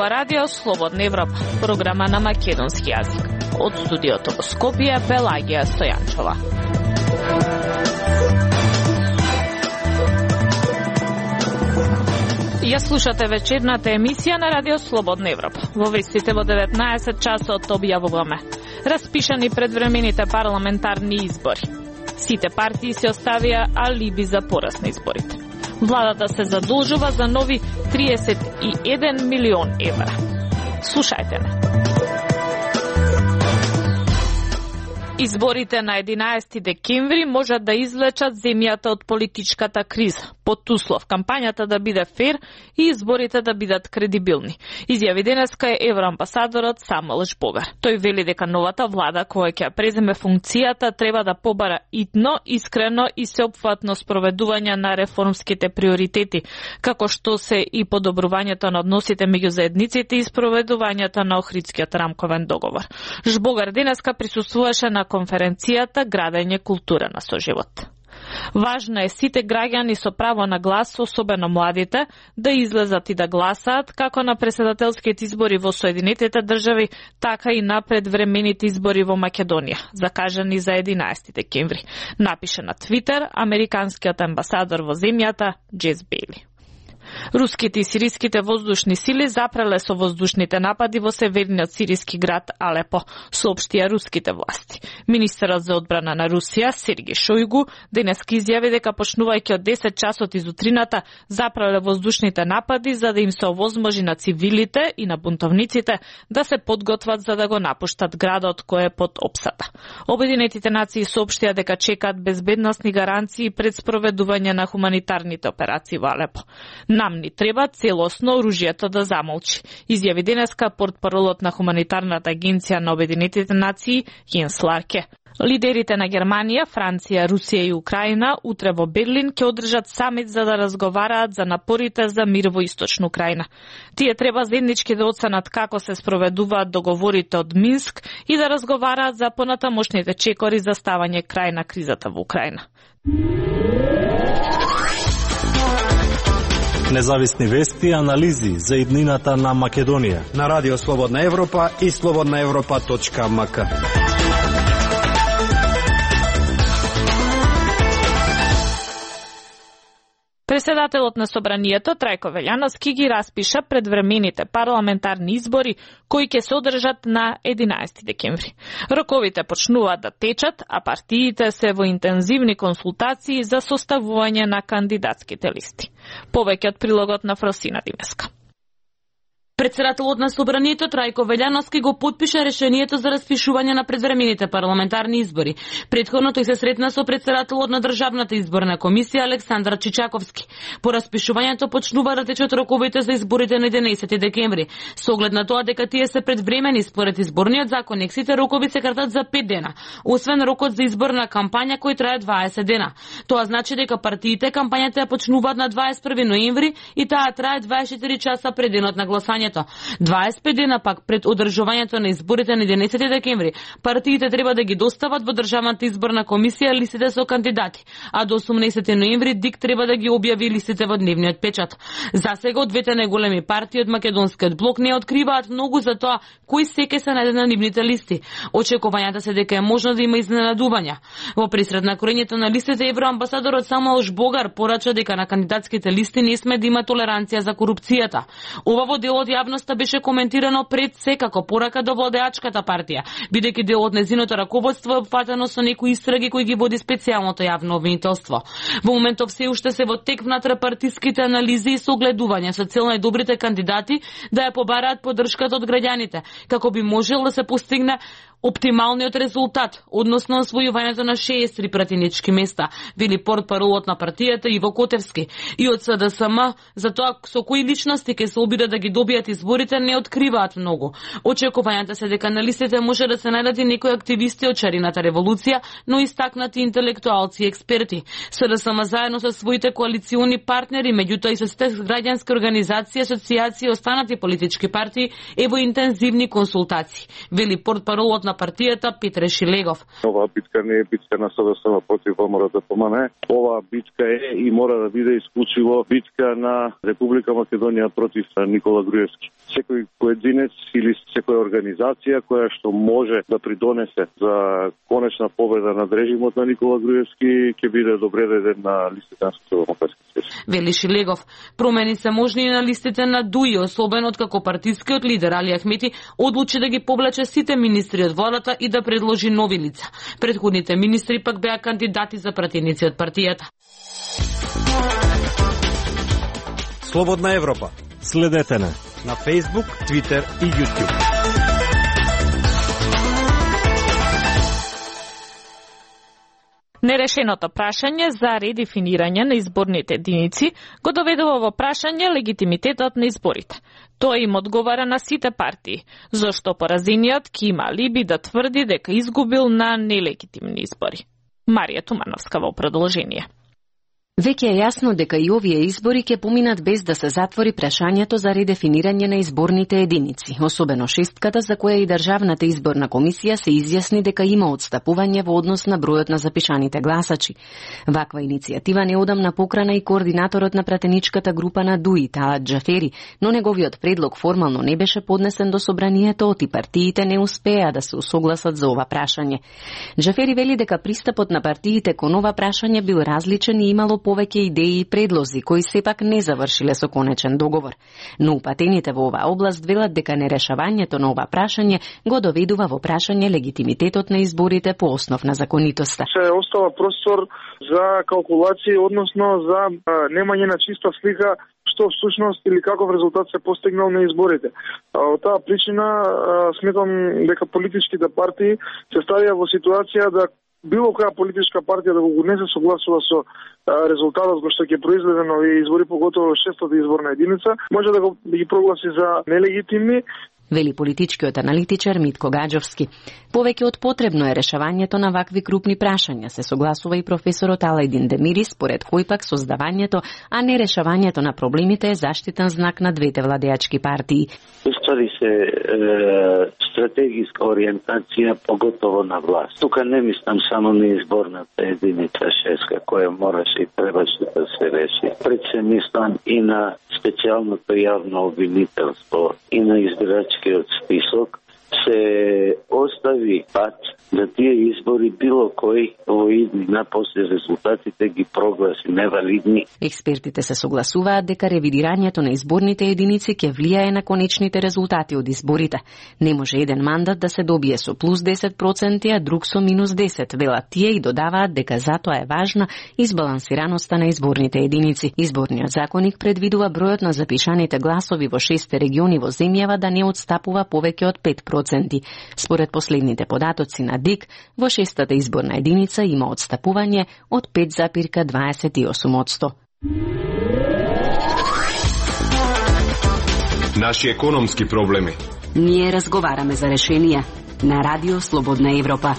ова радио Слободна Европа, програма на македонски јазик. Од студиото во Скопје, Пелагија Стојанчова. Ја слушате вечерната емисија на радио Слободна Европа. Во вестите во 19 часот објавуваме: распишани предвремените парламентарни избори. Сите партии се оставија алиби за пораз на изборите. Владата се задолжува за нови 31 милион евра. Слушајте ме. Изборите на 11 декември можат да извлечат земјата од политичката криза, под услов кампањата да биде фер и изборите да бидат кредибилни. Изјави денеска евроамбасадорот Самуел Жбогар. Тој вели дека новата влада која ќе преземе функцијата треба да побара итно, искрено и сеопфатно спроведување на реформските приоритети, како што се и подобрувањето на односите меѓу заедниците и спроведувањето на Охридскиот рамковен договор. Жбогар денеска присуствуваше на конференцијата Градење култура на соживот. Важно е сите граѓани со право на глас, особено младите, да излезат и да гласаат како на претседателските избори во Соединетите држави, така и на предвремените избори во Македонија, закажани за 11 декември, напише на Твитер американскиот амбасадор во земјата Джес Бейли. Руските и сириските воздушни сили запреле со воздушните напади во северниот сириски град Алепо, соопштија руските власти. Министерот за одбрана на Русија, Сергеј Шојгу, денеска изјави дека почнувајќи од 10 часот из утрината запреле воздушните напади за да им се овозможи на цивилите и на бунтовниците да се подготват за да го напуштат градот кој е под опсада. Обединетите нации соопштија дека чекаат безбедносни гаранции пред спроведување на хуманитарните операции во Алепо. Нам ни треба целосно оружјето да замолчи, изјави денеска портпаролот на Хуманитарната агенција на Обединетите нации Јенс Ларке. Лидерите на Германија, Франција, Русија и Украина утре во Берлин ќе одржат самит за да разговараат за напорите за мир во Источна Украина. Тие треба заеднички да оценат како се спроведуваат договорите од Минск и да разговараат за понатамошните чекори за ставање крај на кризата во Украина. Независни вести и анализи за иднината на Македонија на Радио Слободна Европа и slobodnaevropa.mk. Председателот на Собранието Трајко Велјановски ги распиша предвремените парламентарни избори кои ќе се одржат на 11 декември. Роковите почнуваат да течат, а партиите се во интензивни консултации за составување на кандидатските листи. Повеќе од прилогот на Фросина Димеска. Председателот на Собранието Трајко Велјановски го потпиша решението за распишување на предвремените парламентарни избори. Претходно тој се сретна со председателот на Државната изборна комисија Александар Чичаковски. По распишувањето почнува да течат роковите за изборите на 11 декември. Со оглед на тоа дека тие се предвремени според изборниот законник, сите рокови се кратат за 5 дена, освен рокот за изборна кампања кој трае 20 дена. Тоа значи дека партиите кампањата ја почнуваат на 21 ноември и таа трае 24 часа пред денот на гласање. 25 дена пак пред одржувањето на изборите на 11 декември, партиите треба да ги достават во Државната изборна комисија листите со кандидати, а до 18 ноември ДИК треба да ги објави листите во дневниот печат. За сега од двете најголеми партии од македонскиот блок не откриваат многу за тоа кои секој се најде на нивните листи. Очекувањата се дека е можно да има изненадувања. Во пресред на корењето на листите, евроамбасадорот Самуел Жбогар порача дека на кандидатските листи не сме да има толеранција за корупцијата. Ова во делот јавноста беше коментирано пред се како порака до владеачката партија, бидејќи дел од нејзиното раководство е опфатено со некои истраги кои ги води специјалното јавно обвинителство. Во моментов се уште се во тек внатре-партиските анализи и согледување со цел најдобрите кандидати да ја побараат поддршката од граѓаните, како би можел да се постигне оптималниот резултат, односно освојувањето на 63 пратенички места, вели портпаролот на партијата Иво Котевски. И од СДСМ за тоа со кои личности ќе се обидат да ги добијат изборите не откриваат многу. Очекувањата се дека на листите може да се најдат и некои активисти од Шарината револуција, но истакнати интелектуалци и експерти. СДСМ заедно со своите коалициони партнери, меѓутоа и со граѓански организации, асоцијации и останати политички партии е во интензивни консултации, вели портпаролот на партијата Петре Шилегов. Оваа битка не е битка на СДСМ против ВМРО-ДПМН. Оваа битка е и мора да биде исклучиво битка на Република Македонија против Никола Груевски. Секој поединец или секоја организација која што може да придонесе за конечна победа над режимот на Никола Груевски ќе биде добре даден на листите на Социјалдемократски съюз. Вели Шилегов, промени се можни и на листите на ДУИ, особено откако партискиот лидер Али Ахмети одлучи да ги повлече сите министри од владата и да предложи нови лица. Претходните министри пак беа кандидати за пратеници од партијата. Слободна Европа. Следете на Facebook, Twitter и YouTube. Нерешеното прашање за редефинирање на изборните единици го доведува во прашање легитимитетот на изборите. Тој им одговара на сите партии, зашто поразениот ќе има алиби да тврди дека изгубил на нелегитимни избори. Марија Тумановска во продолжение. Веќе е јасно дека и овие избори ќе поминат без да се затвори прашањето за редефинирање на изборните единици, особено шестката за која и Државната изборна комисија се изјасни дека има отстапување во однос на бројот на запишаните гласачи. Ваква иницијатива неодамна покрана и координаторот на пратеничката група на ДУИ, Талат Џафери, но неговиот предлог формално не беше поднесен до собранието и партиите не успеа да се усогласат за ова прашање. Џафери вели дека пристапот на партиите кон ова прашање бил различен и имало повеќе идеи и предлози кои сепак не завршиле со конечен договор. Но упатените во оваа област велат дека нерешавањето на ова прашање го доведува во прашање легитимитетот на изборите по основ на законитоста. Се остава простор за калкулации, односно за немање на чиста слика што всушност или каков резултат се постигнал на изборите. Од таа причина сметам дека политичките партии се ставија во ситуација да било која политичка партија да го не се согласува со резултатот кој што ќе произведе на овие избори, поготово шестата изборна единица, може да ги прогласи за нелегитимни. Вели политичкиот аналитичар Митко Гаџовски. Повеќе од потребно е решавањето на вакви крупни прашања, се согласува и професорот Алајдин Демири, според кој пак создавањето, а не решавањето на проблемите е заштитен знак на двете владеачки партии. Уствари се стратегиска ориентација, поготово на власт. Тука не мислам само на изборната единица шеска, која мораше и требаше да се реши. Пред се мислам и на специјалното јавно обвинителство и на избирачкиот список, се остави пат да тие избори било кој во иднина после резултатите ги прогласи невалидни. Експертите се согласуваат дека ревидирањето на изборните единици ќе влијае на конечните резултати од изборите. Не може еден мандат да се добие со плюс 10%, а друг со минус 10%, велат тие и додаваат дека затоа е важна избалансираноста на изборните единици. Изборниот законник предвидува бројот на запишаните гласови во 6 региони во земјава да не отстапува повеќе од 5%. Според последните податоци на ДИК, во шестата изборна единица има отстапување од 5,28%. Наши економски проблеми. Ние разговараме за решенија на Радио Слободна Европа.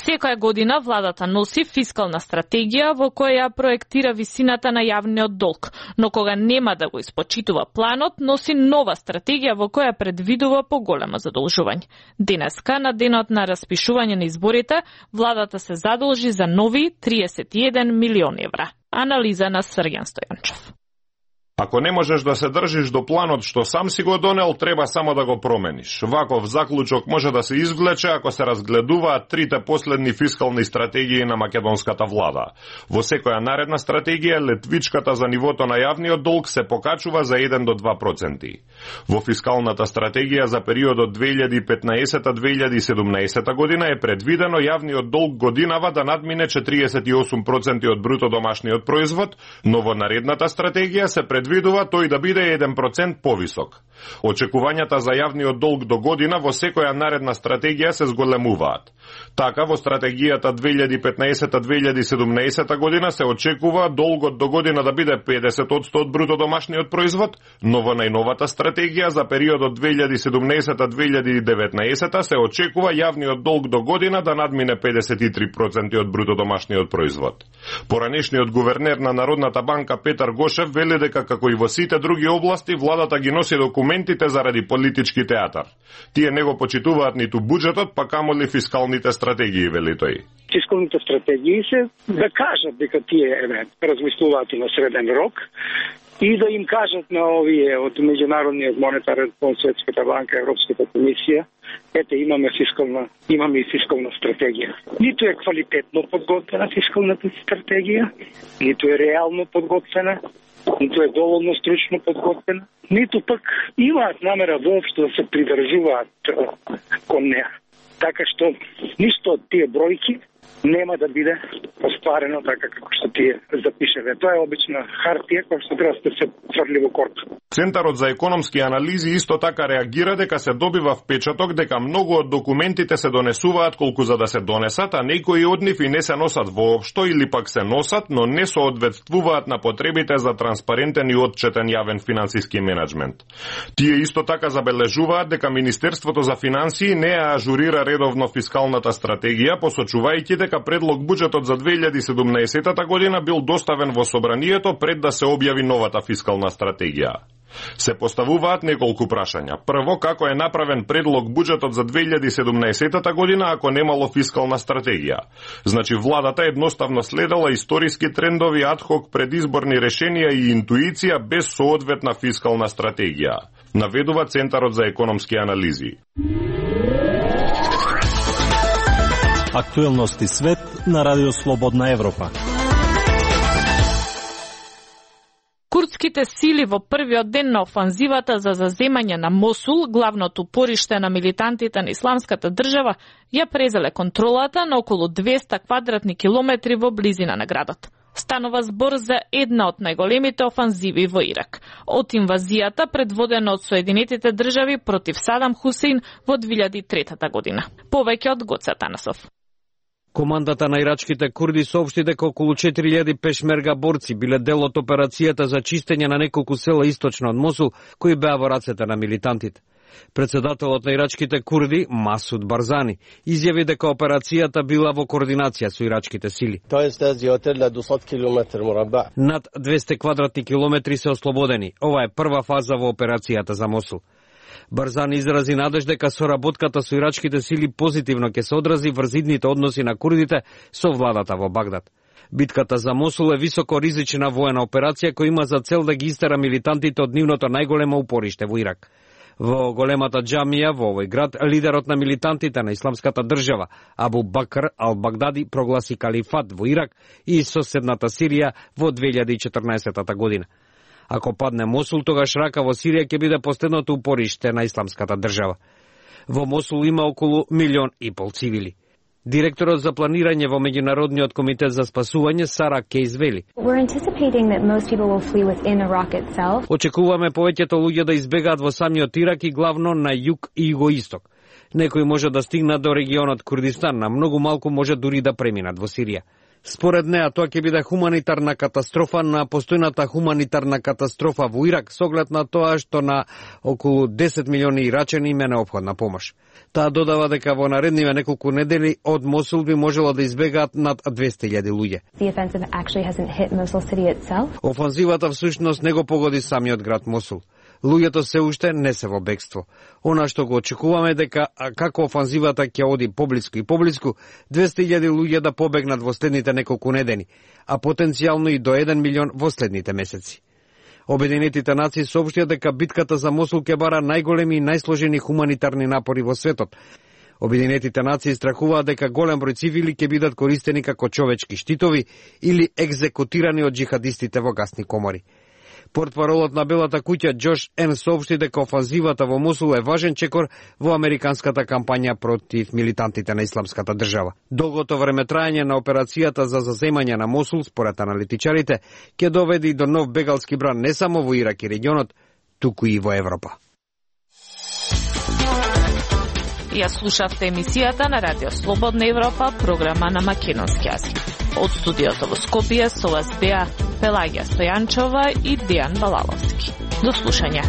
Секоја година владата носи фискална стратегија во која проектира висината на јавниот долг, но кога нема да го испочитува планот, носи нова стратегија во која предвидува поголемо задолжување. Денеска, на денот на распишување на изборите, владата се задолжи за нови 31 милиони евра. Анализа на Срѓан Стојанчев. Ако не можеш да се држиш до планот што сам си го донел, треба само да го промениш. Ваков заклучок може да се извлече ако се разгледуваат трите последни фискални стратегии на македонската влада. Во секоја наредна стратегија, летвичката за нивото на јавниот долг се покачува за 1 до 2%. Во фискалната стратегија за периодот 2015-2017 година е предвидено јавниот долг годинава да надмине 48% од бруто домашниот производ, но во наредната стратегија се предвидува тој да биде 1% повисок. Очекувањата за јавниот долг до година во секоја наредна стратегија се зголемуваат. Така, во стратегијата 2015-2017 година се очекува долгот до година да биде 50% од бруто домашниот производ, но во најновата стратегија за периодот 2017-2019 се очекува јавниот долг до година да надмине 53% од бруто домашниот производ. Поранешниот гувернер на Народната банка Петар Гошев вели дека како и во сите други области владата ги носи документите заради политички театар. Тие не го почитуваат ниту буџетот, па камоли фискалните стратегии, вели тој. Фискалните стратегии се да кажат дека тие размислуваат и на среден рок и да им кажат на овие од Меѓународниот монетарен фонд, Светската банка, Европската комисија, ете имаме и фискална стратегија. Ниту е квалитетно подготвена фискалната стратегија, ниту е реално подготвена, ниту е доволно стручно подготвена, ниту пак имаат намера воопшто да се придржуваат кон неа. Така што ништо од тие бројки нема да биде остварено така како што тие запишеве. Тоа е обична хартија која што треба да се фрли во корп. Центарот за економски анализи исто така реагира дека се добива впечаток дека многу од документите се донесуваат колку за да се донесат, а некои од нив и не се носат воопшто или пак се носат, но не соодветствуваат на потребите за транспарентен и отчетен јавен финансиски менеджмент. Тие исто така забележуваат дека Министерството за финансии не ја ажурира редовно фискалната стратегија, посочувајќи дека предлог буџетот за 2017 година бил доставен во собранието пред да се објави новата фискална стратегија. Се поставуваат неколку прашања. Прво, како е направен предлог буџетот за 2017 година ако немало фискална стратегија? Значи, владата едноставно следела историски трендови адхок предизборни решенија и интуиција без соодветна фискална стратегија, наведува Центарот за економски анализи. Актуелности свет на Радио Слободна Европа. Курдските сили во првиот ден на офанзивата за заземање на Мосул, главното пориште на милитантите на Исламската држава, ја презеле контролата на околу 200 квадратни километри во близина на градот. Станува збор за една од најголемите офанзиви во Ирак. Од инвазијата предводена од Соединетите држави против Садам Хусейн во 2003 година. Повеќе од Гоце Танасов. Командата на ирачките курди соопшти дека околу 4000 пешмерга борци биле дел од операцијата за чистење на неколку села источно од Мосул, кои беа во рацете на милитантите. Председателот на ирачките курди, Масуд Барзани, изјави дека операцијата била во координација со ирачките сили. Над 200 квадратни километри се ослободени. Ова е прва фаза во операцијата за Мосул. Барзани изрази надеж дека соработката со ирачките сили позитивно ќе се одрази врз идните односи на курдите со владата во Багдад. Битката за Мосул е високо ризична воена операција која има за цел да ги истера милитантите од нивното најголемо упориште во Ирак. Во големата џамија во овој град, лидерот на милитантите на Исламската држава, Абу Бакр ал-Багдади, прогласи калифат во Ирак и соседната Сирија во 2014 година. Ако падне Мосул, тогаш Рака во Сирија ќе биде последното упориште на Исламската држава. Во Мосул има околу 1,5 милион цивили. Директорот за планирање во Меѓународниот комитет за спасување Сара Кейс вели: очекуваме повеќето луѓе да избегаат во самиот Ирак и главно на југ и југоисток. Некои може да стигнат до регионот Курдистан, на многу малку може дури да преминат во Сирија. Според неа, тоа ќе биде хуманитарна катастрофа на постојната хуманитарна катастрофа во Ирак, со оглед на тоа што на околу 10 милиони ирачани им е неопходна помош. Таа додава дека во наредниве неколку недели од Мосул би можело да избегаат над 200.000 луѓе. Офанзивата всушност не го погоди самиот град Мосул. Луѓето се уште не се во бегство. Она што го очекуваме дека како офанзивата ќе оди поблиску и поблиску, 200.000 луѓе да побегнат во следните неколку недели, а потенцијално и до 1 милион во следните месеци. Обединетите нации соопштија дека битката за Мосул ќе бара најголеми и најсложени хуманитарни напори во светот. Обединетите нации страхуваат дека голем број цивили ќе бидат користени како човечки штитови или екзекутирани од џихадистите во гасни комори. Портпаролот на Белата куќа Џош Ен соопшти дека офанзивата во Мосул е важен чекор во американската кампања против милитантите на Исламската држава. Долгото време трајање на операцијата за заземање на Мосул, според аналитичарите, ќе доведе и до нов бегалски бран не само во Ирак и регионот, туку и во Европа. Ја слушавте емисијата на Радио Слободна Европа, програма на македонски јазик. Од студиото во Скопје со вас беа Пелагија Стојанчова и Дејан Балаловски. До слушање.